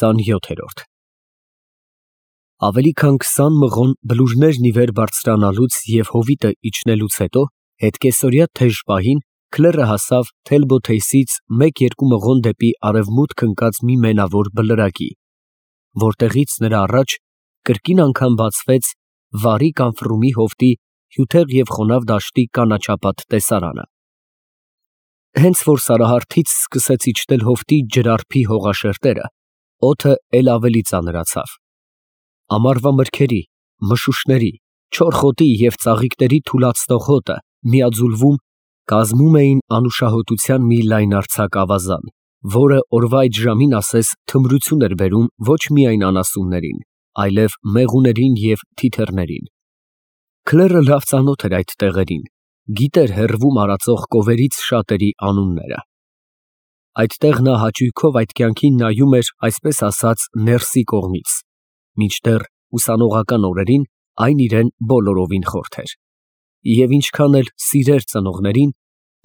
27-րդ Ավելի քան 20 մղոն բլուրներն ի վեր բարձրանալուց և հովիտը իջնելուց հետո, հետկեսօրյա թեժ պահին, Քլերը հասավ Թելբոթեյսից 1-2 մղոն դեպի արևմուտք ընկած մի մենավոր բլրակի, որտեղից նրա առաջ կրկին անգամ բացվեց վարի կանֆրումի հովտի հյութեղ և խոնավ դաշտի կանաչապատ տեսարանը։ Հենց որ սարահարթից սկսեց իջնել հովտի ջրարփի հողաշերտերը, օդը էլ ավելի ծանրացավ։ Ամառվա մրգերի, մշուշների, չոր խոտի և ծաղիկների թուլացնող հոտը միաձուլվում կազմում էին անուշահոտության մի լայնարձակ ավազան, որը օրվա այդ ժամին ասես թմրություն էր բերում ոչ միայն անասուններին, այլև մեղուներին և թիթեռներին։ Քլերը լավ ծանոթ էր այդ տեղերին, գիտեր հեռվում արածող կովերից շատերի անունները։ Այդտեղ նա հաճույքով այդ կյանքին նայում էր այսպես ասած ներսի կողմից, մինչդեռ ուսանողական օրերին այն իրեն բոլորովին խորթ էր։ Եվ ինչքան էլ սիրեր ծնողներին,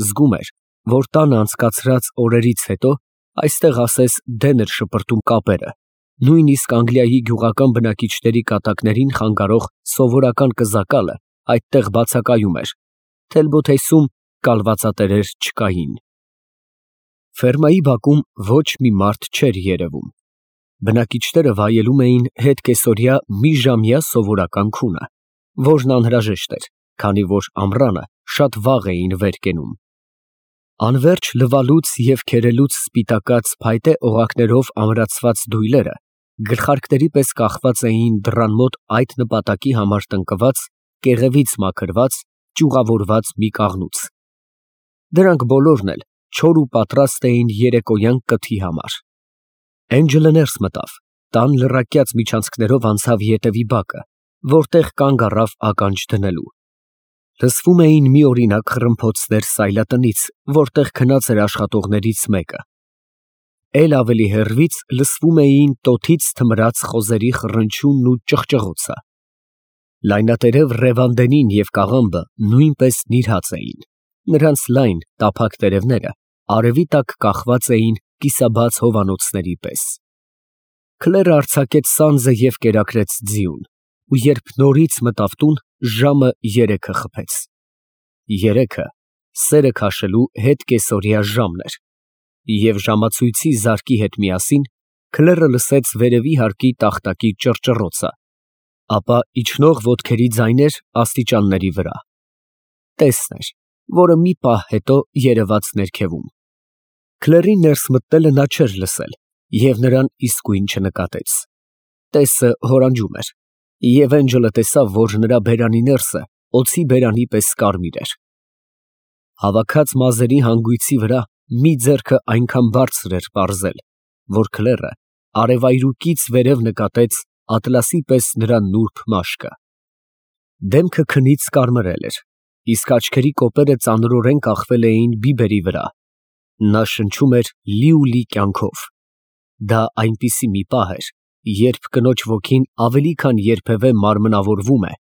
զգում էր, որ տանը անցկացրած օրերից հետո այստեղ ասես դեն էր շպրտում կապերը, նույնիսկ Անգլիայի գյուղական բնակիչների կատակներին խանգարող սովորական կզակալը այդտեղ բացակայում էր, Թելբոթեյսում կալվածատերեր չկային։ Ֆերմայի բակում ոչ մի մարդ չէր երևում։ Բնակիչները վայելում էին հետկեսօրյա մի ժամյա սովորական քունը, որն անհրաժեշտ էր, քանի որ ամռանը շատ վաղ էին վեր կենում։ Անվերջ լվալուց և քերելուց սպիտակած փայտե օղակներով ամրացված դույլերը գլխարկների պես կախված էին դռան մոտ այդ նպատակի համար տնկված, կեղևից մաքրված, ճյուղավորված մի կաղնուց։ Դրանք բոլորն էլ չոր ու պատրաստ էին երեկոյան կթի համար։ Էնջլը ներս մտավ, տան լռակյաց միջանցքներով անցավ ետևի բակը, որտեղ կանգ առավ ականջ դնելու։ Լսվում էին միօրինակ խռմփոցներ սայլատնից, որտեղ քնած էր աշխատողներից մեկը։ Էլ ավելի հեռվից լսվում էին տոթից թմրած խոզերի խռնչյունն ու ճղճղոցը։ Լայնատերև Ռևանդենին և կաղամբը նույնպես նիրհած էին, նրանց լայն, տափակ տերևները արևի տակ կախված էին կիսաբաց հովանոցների պես։ Քլերը արձակեց սանձը և կերակրեց ձիուն, ու երբ նորից մտավ տուն, ժամը 3-ը խփեց։ 3-ը սերը քաշելու հետկեսօրյա ժամն էր, և ժամացույցի զարկի հետ միասին Քլերը լսեց վերևի հարկի տախտակի ճռճռոցը, ապա իջնող ոտքերի ձայներ աստիճանների վրա։ Տեսն էր, որը մի պահ հետո երևաց ներքևում։ Քլերին ներս մտնելը նա չէր լսել և նրան իսկույն չնկատեց։ Տեսը հորանջում էր, և Էնջլը տեսավ, որ նրա բերանի ներսը օձի բերանի պես կարմիր էր։ Հավաքած մազերի հանգույցի վրա մի ձեռքը այնքան բարձր էր պարզել, որ Քլերը արևայրուկից վերև նկատեց ատլասի պես նրա նուրբ մաշկը։ Դեմքը քնից կարմրել էր, իսկ աչքերի կոպերը ծանրորեն կախվել էին բիբերի վրա։ Նա շնչում էր լի կյանքով։ Դա այնպիսի մի պահ էր, երբ կնոջ ոգին ավելի քան երբևէ մարմնավորվում է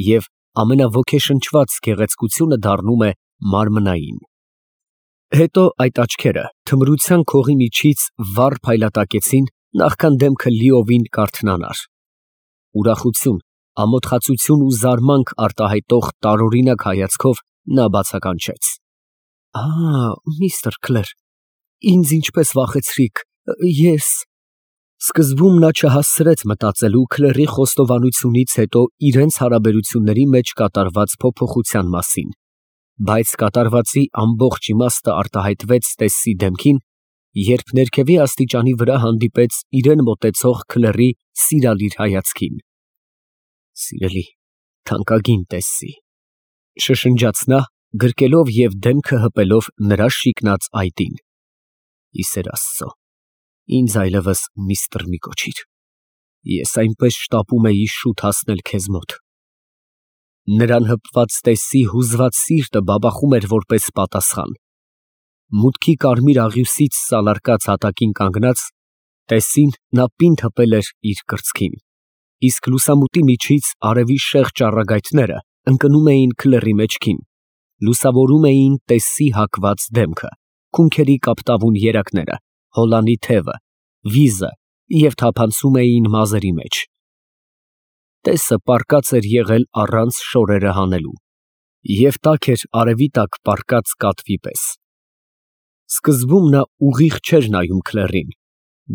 և ամենաոգեշնչված գեղեցկությունը դառնում է մարմնային։ Հետո այդ աչքերը թմրության քողի միջից վառ փայլատակեցին, նախքան դեմքը լիովին կարթնանար։ Ուրախություն, ամոթխածություն ու զարմանք արտահայտող տարօրինակ հայացքով նա բացականչեց. Միստր Քլեր, ինձ ինչպես վախեցրիք, ես… Սկզբում նա չհասցրեց մտածելու Քլերի խոստովանությունից հետո իրենց հարաբերությունների մեջ կատարված փոփոխության մասին, բայց կատարվածի ամբողջ իմաստը արտահայտվեց Տեսսի դեմքին, երբ ներքևի աստիճանի վրա հանդիպեց իրեն մոտեցող Քլերի սիրալիր հայացքին։ Սիրելի, թանկագին Տեսսի, շշնջաց նա, գրկելով և դեմքը հպելով նրա շիկնած այտին։ Ի սեր Աստծո, ինձ այլևս միստր մի կոչիր, ես այնպես շտապում էի շուտ հասնել քեզ մոտ։ Նրան հպված Տեսսի հուզված սիրտը բաբախում էր որպես պատասխան։ Մուտքի կարմիր աղյուսից սալարկած հատակին կանգնած, Տեսսին նա պինդ հպել էր իր կրծքին, իսկ լուսամուտի միջից արևի շեղ ճառագայթները ընկնում էին Քլերի մեջքին, լուսավորում էին Տեսսի հակված դեմքը, քունքերի կապտավուն երակները, հոլանի թևը, վիզը, և թափանցում էին մազերի մեջ։ Տեսը պառկած էր եղել առանց շորերը հանելու, և տաք էր արևի տակ պառկած կատվի պես։ Սկզբում նա ուղիղ չէր նայում Քլեռին,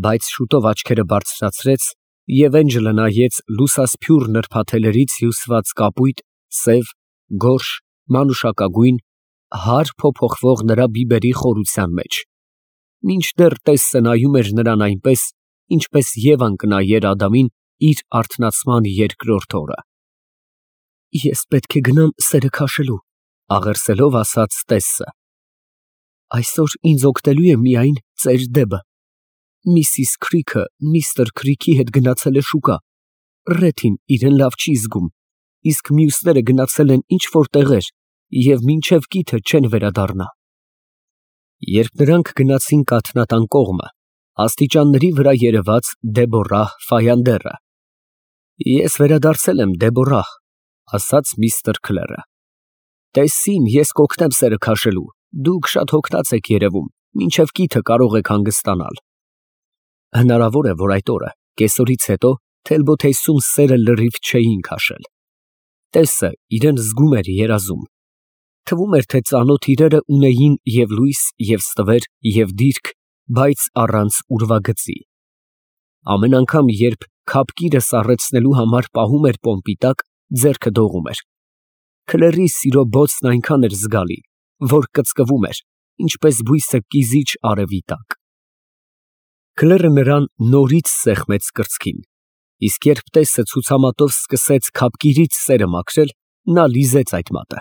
բայց շուտով աչքերը բարձրացրեց և էնջլը նայեց լուսասփյուռ նրբաթելերից հյուսված կապույտ, սև, գորշ, մանուշակագույն, հար փոփոխվող նրա բիբերի խորության մեջ, մինչդեռ տեսը նայում էր նրան այնպես, ինչպես Եվան կնայեր Ադամին իր արթնացման երկրորդ օրը։ «Ես պետք է գնամ սերը քաշելու», ֊ աղերսելով ասաց տեսը։ «Այսօր ինձ օգնելու է միայն ծեր Դեբը։ Միսիս Քրիքը միստր Քրիքի հետ գնացել է շուկա, Ռեթին իրեն լավ չի զգում, իսկ մյուսները գնացել են ինչ֊որ տեղեր և մինչև կիթը չեն վերադառնա»։ Երբ նրանք գնացին կաթնատան կողմը, աստիճանների վրա երևաց Դեբոռահ Ֆայանդերը։ «Ես վերադարձել եմ, Դեբոռահ», ֊ ասաց միստր Քլերը։ «Տեսին ես կօգնեմ սերը քաշելու, դուք շատ հոգնած եք երևում, մինչև կիթը կարող եք հանգստանալ»։ Հնարավոր է, որ այդ օրը, կեսօրից հետո, Թելբոթեյսում սերը լրիվ չէին քաշել։ Տեսը իրան զգում էր երազում։ Թվում էր, թե ծանոթ իրերը ունեին և լույս, և ստվեր, և դիրք, բայց առանց ուրվագծի։ Ամեն անգամ, երբ քափկիրը սառեցնելու համար պահում էր պոմպի տակ, ձեռքը դողում էր։ Քլերի սիրո բոցն այնքան էր զգալի, որ կծկվում էր, ինչպես բույսը կիզիչ արևի տակ։ Քլերը նրան նորից սեղմեց կրծքին, իսկ երբ տեսը ցուցամատով սկսեց քափկիրից սերը մաքրել, նա լիզեց այդ մատը։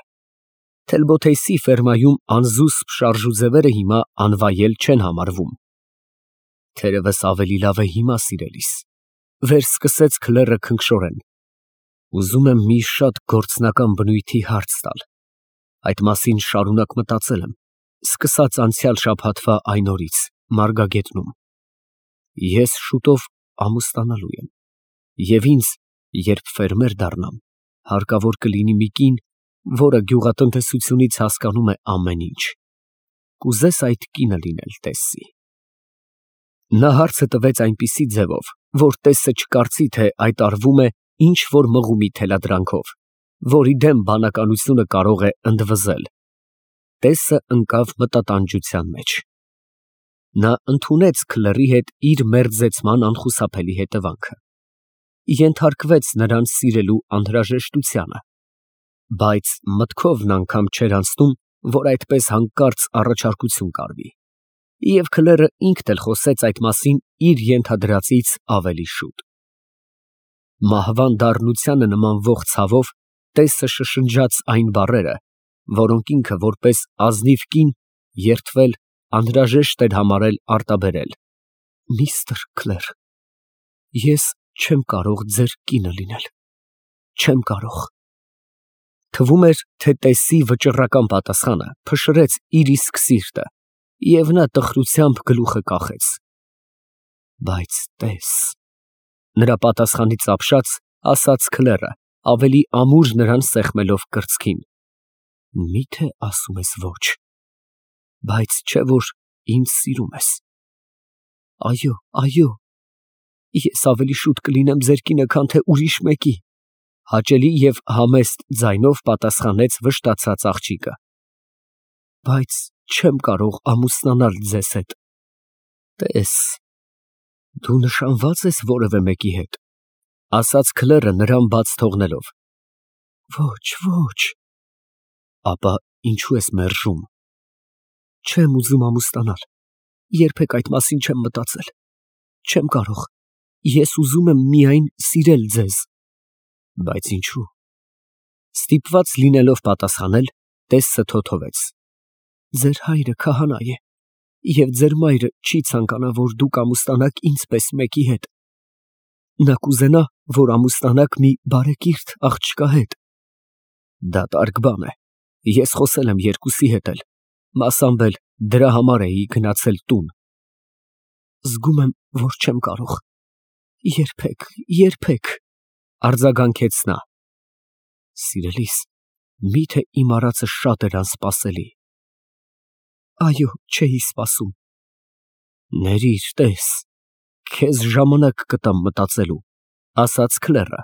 Թելբոթեյսի ֆերմայում անզուսպ շարժուձևերը հիմա անվայել չեն համարվում։ Թերևս ավելի լավ է հիմա, սիրելիս, վերսկսեց Քլերը քնքշորեն։ Ուզում եմ մի շատ գործնական բնույթի հարց տալ։ Այդ մասին շարունակ մտածել եմ, սկսած անցյալ շաբաթվա այն օրից, Մարգագետնում։ Ես շուտով ամուսնանալու եմ, և ինձ, երբ ֆերմեր դառնամ, հարկավոր կլինի մի կին, որը գյուղատնտեսությունից հասկանում է ամեն ինչ։ Կուզես այդ կինը լինել, տեսնի։ Նա հարցը տվեց այնպիսի ձևով, որ տեսը չկարծի, թե այդ արվում է ինչ֊որ մղումի թելադրանքով, որի դեմ բանականությունը կարող է ընդվզել։ Տեսը ընկավ մտատանջության մեջ։ Նա ընդունեց Քլերի հետ իր մերձեցման անխուսափելի հետևանքը, ենթարկվեց նրան սիրելու անհրաժեշտությանը, բայց մտքովն անգամ չէր անցնում, որ այդպես հանկարծ առաջարկություն կարվի, և Քլերը ինքն էլ խոսեց այդ մասին իր ենթադրածից ավելի շուտ։ Մահվան դառնությանը նմանվող ցավով տեսը շշնջաց այն բառերը, որոնք ինքը որպես ազնիվ կին երդվել անհրաժեշտ էր համարել արտաբերել։ «Միստր Քլեր, ես չեմ կարող ձեր կինը լինել, չեմ կարող»։ Թվում էր, թե տեսի վճռական պատասխանը փշրեց իր իսկ սիրտը, և նա տխրությամբ գլուխը կախեց։ «Բայց տես», նրա պատասխանից ապշած, ասաց Քլերը, ավելի ամուր նրան սեղմելով կրծքին, «Մի՞թե ասում ես ոչ, բայց չէ՞ որ ինձ սիրում ես»։ «Այո, այո, ես ավելի շուտ կլինեմ ձեր կինը, քան թե ուրիշ մեկի», հաճելի և համեստ ձայնով պատասխանեց վշտացած աղջիկը։ «Բայց չեմ կարող ամուսնանալ ձեզ հետ»։ «Տես, դու նշանվա՞ծ ես որևէ մեկի հետ», ասաց Քլերը նրան բաց թողնելով։ «Ոչ, ոչ»։ «Ապա ինչու ես մերժում»։ «Չեմ ուզում ամուսնանալ, երբեք այդ մասին չեմ մտածել, չեմ կարող, ես ուզում եմ միայն սիրել ձեզ»։ «Բայց ինչու»։ Ստիպված լինելով պատասխանել, տեսը թոթվեց։ «Ձեր հայրը քահանա է, և ձեր մայրը չի ցանկանա, որ դուք ամուսնանաք ինձ պես մեկի հետ։ Նա կուզենա, որ ամուսնանաք մի բարեկիրթ աղջկա հետ»։ «Դատարկ բան է, ես խոսել եմ երկուսի հետ էլ, մասամբ էլ դրա համար էի գնացել տուն»։ «Զգում եմ, որ չեմ կարող, երբեք, երբեք», արձագանքեց նա։ «Սիրելիս, մի՞թե իմ արածը շատ էր անսպասելի»։ «Այո, չէի սպասում»։ «Ներիր, տես, Քեզ ժամանակ կտամ մտածելու, ասաց Քլերը։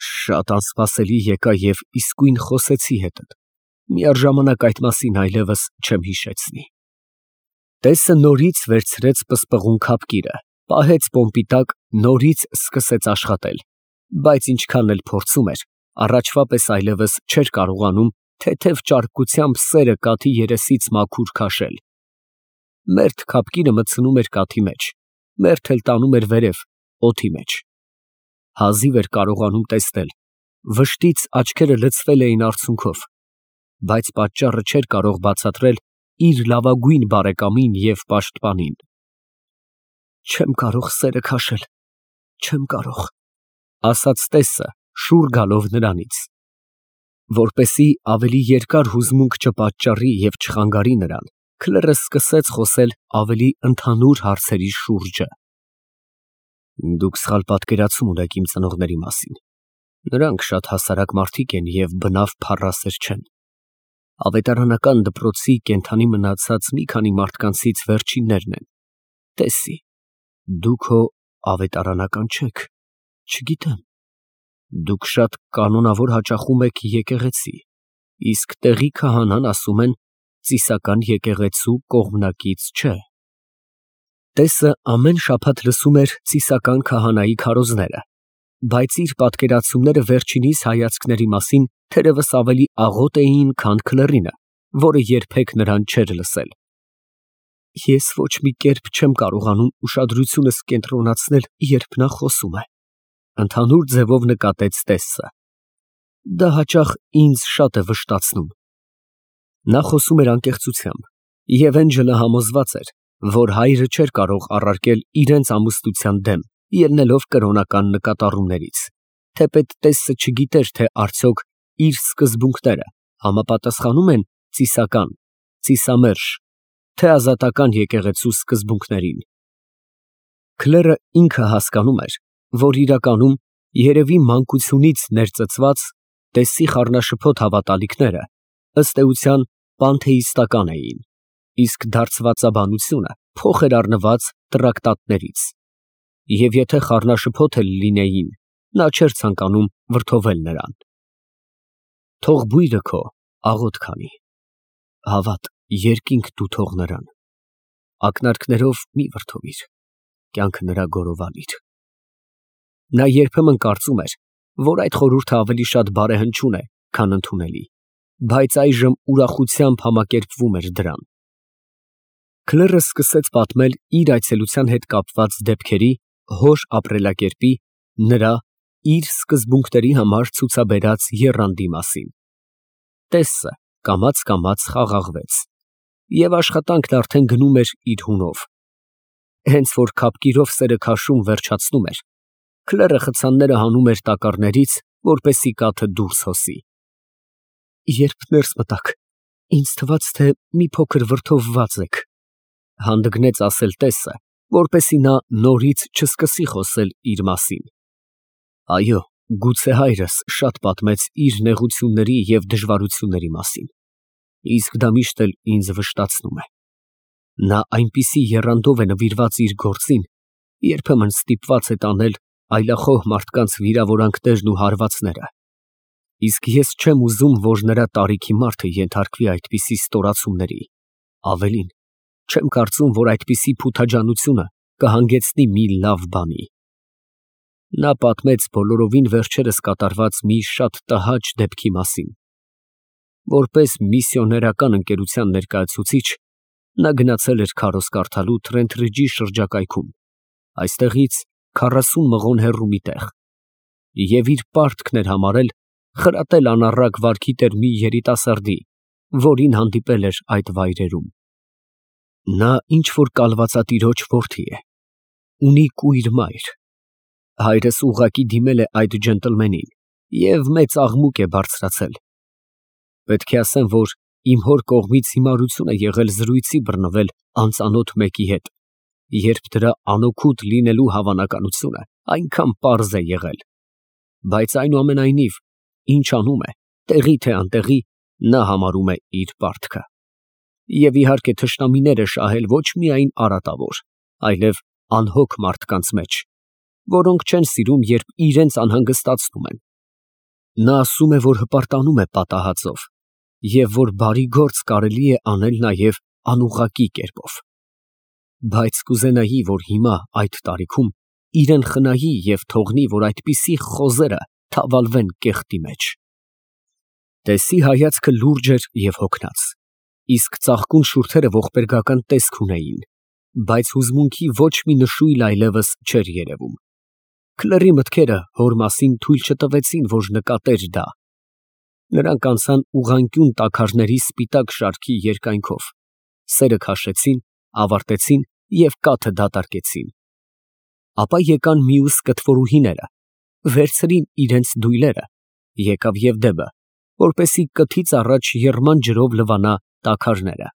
Շատ անսպասելի եկա և իսկույն խոսեցի հետդ։ Միառժամանակ այդ մասին այլևս չեմ հիշեցնի։ Տեսը նորից վերցրեց պսպղուն քապկիրը, պահեց պոմպի տակ, նորից սկսեց աշխատել, բայց ինչքան էլ փորձում էր, առաջվա պես այլևս չէր կարողանում թեթև ճարպկությամբ սերը կաթի երեսից մաքուր քաշել։ Մերթ քապկիրը մտցնում էր կաթի մեջ, մերթ էլ տանում էր վերև, օդի մեջ։ Հազիվ էր կարողանում տեսնել, վշտից աչքերը լցվել էին արցունքով, բայց պատճառը չէր կարող բացատրել իր լավագույն բարեկամին և պաշտպանին։ Չեմ կարող սերը քաշել, չեմ կարող, ասաց տեսը, շուռ գալով նրանից։ Որպեսզի ավելի երկար հուզմունք չպատճառի և չխանգարի նրան, Քլերը սկսեց խոսել ավելի ընդհանուր հարցերի շուրջը։ Դուք սխալ պատկերացում ունեք իմ ծնողների մասին։ Նրանք շատ հասարակ մարդիկ են և բնավ փառասեր չեն։ Ավետարանական դպրոցի կենդանի մնացած մի քանի մարդկանցից վերջիններն են։ Տեսի, դուք հո ավետարանական չեք, չգիտեմ։ Դուք շատ կանոնավոր հաճախում եք եկեղեցի, իսկ տեղի քահանան ասում են ծիսական եկեղեցու կողմնակից չէ։ Տեսը ամեն շաբաթ լսում էր ծիսական քահանայի քարոզները, բայց իր պատկերացումները վերջինիս հայացքների մասին թերևս ավելի աղոտ էին, քան Քլերինը, որը երբեք նրան չէր լսել։ Ես ոչ մի կերպ չեմ կարողանում ուշադրությունս կենտրոնացնել, երբ նա խոսում է, ընդհանուր ձևով նկատեց տեսը։ Դա հաճախ ինձ շատ է վշտացնում։ Նա խոսում էր անկեղծությամբ, և Էնջելը համոզված էր, որ հայրը չէր կարող առարկել իրենց ամուսնության դեմ, ելնելով կրոնական նկատառումներից, թեպետ տեսը չգիտեր, թե արդյոք իր սկզբունքները համապատասխանում են ծիսական, ծիսամերժ, թե ազատական եկեղեցու սկզբունքներին։ Քլերը ինքը հասկանում էր, որ իրականում երևի մանկությունից ներծծված տեսի խառնաշփոթ հավատալիքները ըստ էության պանթեիստական էին, իսկ դարձվածաբանությունը փոխ էր առնված տրակտատներից, և եթե խառնաշփոթ էլ լինեին, նա չէր ցանկանում վրդովել նրան։ Թող բույրը քո աղոտ քանի, հավատ, երկինք դու թող նրան, ակնարկներով մի վրդովիր, կյանքը նրա գորովանիր։ Նա երբեմն կարծում էր, որ այդ խորհուրդը ավելի շատ բարեհնչյուն է, քան ընդունելի, բայց այժմ ուրախությամբ համակերպվում էր դրան։ Քլերը սկսեց պատմել իր այցելության հետ կապված դեպքերի, հոր ապրելակերպի, նրա իր սկզբունքների համար ցուցաբերած եռանդի մասին։ Տեսը կամաց խաղաղվեց, և աշխատանքն արդեն գնում էր իր հունով։ Հենց որ քապկիրով սերը քաշում վերջացնում էր, Քլերը խցանները հանում էր տակառներից, որպեսզի կաթը դուրս հոսի։ Երբ ներս մտաք, ինձ թվաց, թե մի փոքր վրդովված եք, հանդգնեց ասել տեսը, որպեսզի նա նորից չսկսի խոսել իր մասին։ Այո, գուցե հայրս շատ պատմեց իր նեղությունների և դժվարությունների մասին, իսկ դա միշտ էլ ինձ վշտացնում է։ Նա այնպիսի եռանդով է նվիրված իր գործին, երբեմն ստիպված է տանել այլախոհ մարդկանց վիրավորանքներն ու հարվածները, իսկ ես չեմ ուզում, որ նրա տարիքի մարդը ենթարկվի այդպիսի ստորացումների, ավելին, չեմ կարծում, որ այդպիսի փութաջանությունը կհանգեցնի մի լավ բանի։ Նա պատմեց բոլորովին վերջերս կատարված մի շատ տհաճ դեպքի մասին։ Որպես միսիոներական ընկերության ներկայացուցիչ, նա գնացել էր քարոզ կարդալու Թրենթրիջի շրջակայքում, այստեղից 40 մղոն հեռու մի տեղ, և իր պարտքն էր համարել խրատել անառակ վարքի տեր մի երիտասարդի, որին հանդիպել էր այդ վայրերում։ Նա ինչ֊որ կալվածատիրոջ որդի է, ունի կույր մայր։ Հայրս ուղղակի դիմել է այդ ջենտլմենին և մեծ աղմուկ է բարձրացել։ Պետք է ասեմ, որ իմ հոր կողմից հիմարություն է եղել զրույցի բռնվել անծանոթ մեկի հետ, երբ դրա անօգուտ լինելու հավանականությունը այնքան պարզ է եղել, բայց այնուամենայնիվ, ինչ անում է, տեղի թե անտեղի, նա համարում է իր պարտքը։ Եվ իհարկե թշնամիները շահել ոչ միայն արատավոր, այլև անհոգ մարդկանց մեջ, որոնք չեն սիրում, երբ իրենց անհանգստացնում են։ Նա ասում է, որ հպարտանում է պատահածով, և որ բարի գործ կարելի է անել նաև անուղղակի կերպով։ Բայց կուզենայի, որ հիմա այդ տարիքում իրեն խնայի և թողնի, որ այդպիսի խոզերը թավալվեն կեղտի մեջ։ Տեսի հայացքը լուրջ էր և հոգնած, իսկ ծաղկուն շուրթերը ողբերգական տեսք ունեին, բայց հուզմունքի ոչ մի նշույլ այլևս չէր երևում։ Քլերի մտքերը հոր մասին թույլ չտվեցին, որ նկատեր դա։ Նրանք անցան ուղղանկյուն տաքարների սպիտակ շարքի երկայնքով, սերը քաշեցին, ավարտեցին և կաթը դատարկեցին։ Ապա եկան մյուս կթվորուհիները, վերցրին իրենց դույլերը, եկավ Եվդեմը, որպեսզի կթից առաջ եռման ջրով լվանա տաքարները։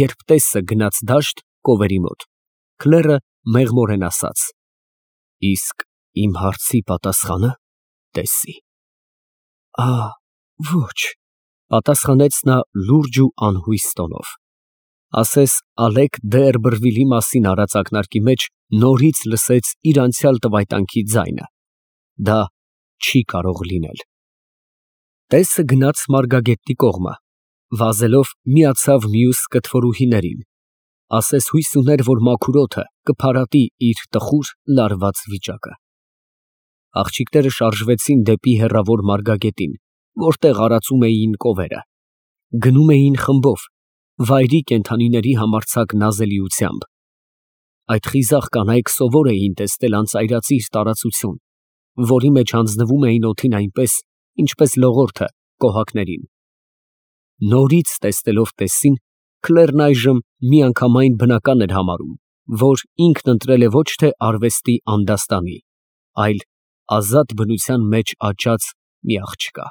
Երբ տեսը գնաց դաշտ կովերի մոտ, քլերը մեղմորեն ասաց. «Իսկ իմ հարցի պատասխանը տեսի՞»։ Ոչ, պատասխանեց նա լուրջ ու անհույս տոնով։ Ասես Ալեկ Դերբրվիլի մասին արած ակնարկի մեջ նորից լսեց իր անցյալ տվայտանքի ձայնը։ Դա չի կարող լինել։ Տեսը գնաց Մարգագետի կողմը, վազելով միացավ մյուս կթվորուհիներին, ասես հույս ուներ, որ մաքուր օդը կփարատի իր տխուր, լարված վիճակը։ Աղջիկները շարժվեցին դեպի հեռավոր Մարգագետին, որտեղ արածում էին կովերը։ Գնում էին խմբով, վայրի կենդանիների համարձակ նազելիությամբ։ Այդ խիզախ կանայք սովոր էին տեսնել անծայրածիր տարածություն, որի մեջ հանձնվում էին օդին այնպես, ինչպես լողորդը կոհակներին։ Նորից տեսնելով տեսին, Քլերն այժմ միանգամայն բնական էր համարում, որ ինքն ընտրել է ոչ թե արվեստի անդաստանի, այլ ազատ բնության մեջ աճած մի աղջկա։